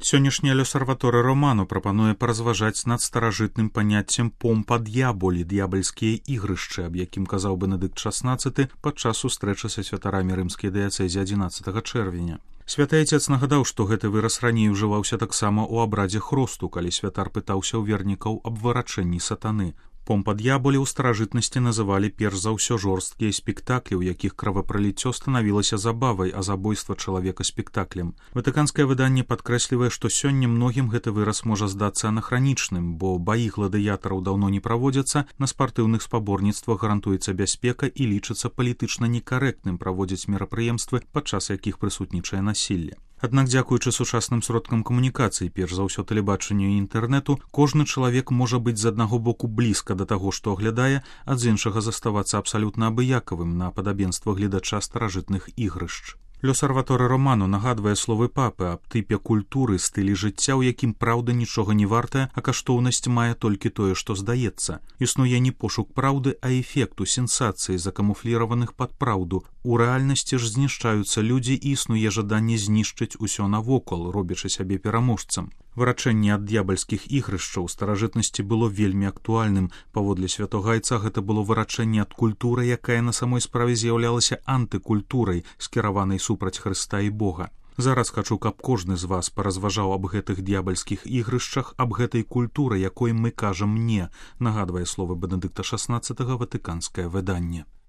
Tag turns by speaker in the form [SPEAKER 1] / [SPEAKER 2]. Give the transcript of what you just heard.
[SPEAKER 1] Сённяшняе L'Osservatore Romano прапануе паразважаць над старажытным паняццем «помпа д'яболі» – д'ябальскія ігрышчы, аб якім казаў Бенедыкт XVI падчас сустрэчы са святарамі рымскай дыяцэзі 11 чэрвеня. Святы Айцец нагадаў, што гэты выраз раней ужываўся таксама ў абрадзе хросту, калі святар пытаўся ў вернікаў аб вырачэнні сатаны. Помпа д'яболі ў старажытнасці называлі перш за ўсё жорсткія спектаклі, у якіх кровапраліццё станавілася забавай, а забойства чалавека спектаклем. Ватыканскае выданне падкрэслівае, што сёння многім гэты выраз можа здацца анахранічным, бо баі гладыятараў даўно не праводзяцца, на спартыўных спаборніцтвах гарантуецца бяспека і лічыцца палітычна некарэктным праводзіць мерапрыемствы, падчас якіх прысутнічае насілле. Аднак, дзякуючы сучасным сродкам камунікацыі, перш за ўсё тэлебачанню і інтэрнэту, кожны чалавек можа быць з аднаго боку блізка да таго, што аглядае, а з іншага заставацца абсалютна абыякавым на падабенства гледача старажытных ігрышч. L'Osservatore Romano нагадвае словы папы аб тыпе культуры, стылі жыцця, у якім праўда нічога не вартая, а каштоўнасць мае толькі тое, што здаецца. Існуе не пошук праўды, а эфекту, сенсацыі, закамуфліраваных пад праўду. У рэальнасці ж знішчаюцца людзі і існуе жаданне знішчыць усё навокал, робячы сябе пераможцам. Вырачэнне ад д'ябальскіх ігрышчаў у старажытнасці было вельмі актуальным. Паводле святога Айца гэта было вырачэнне ад культуры, якая на самой справе з'яўлялася антыкультурай, скіраванай супраць Хрыста і Бога. Зараз хачу, каб кожны з вас паразважаў аб гэтых д'ябальскіх ігрышчах, аб гэтай культуры, якой мы кажам «не», нагадвае словы Бенедыкта XVI ватыканскае выданне.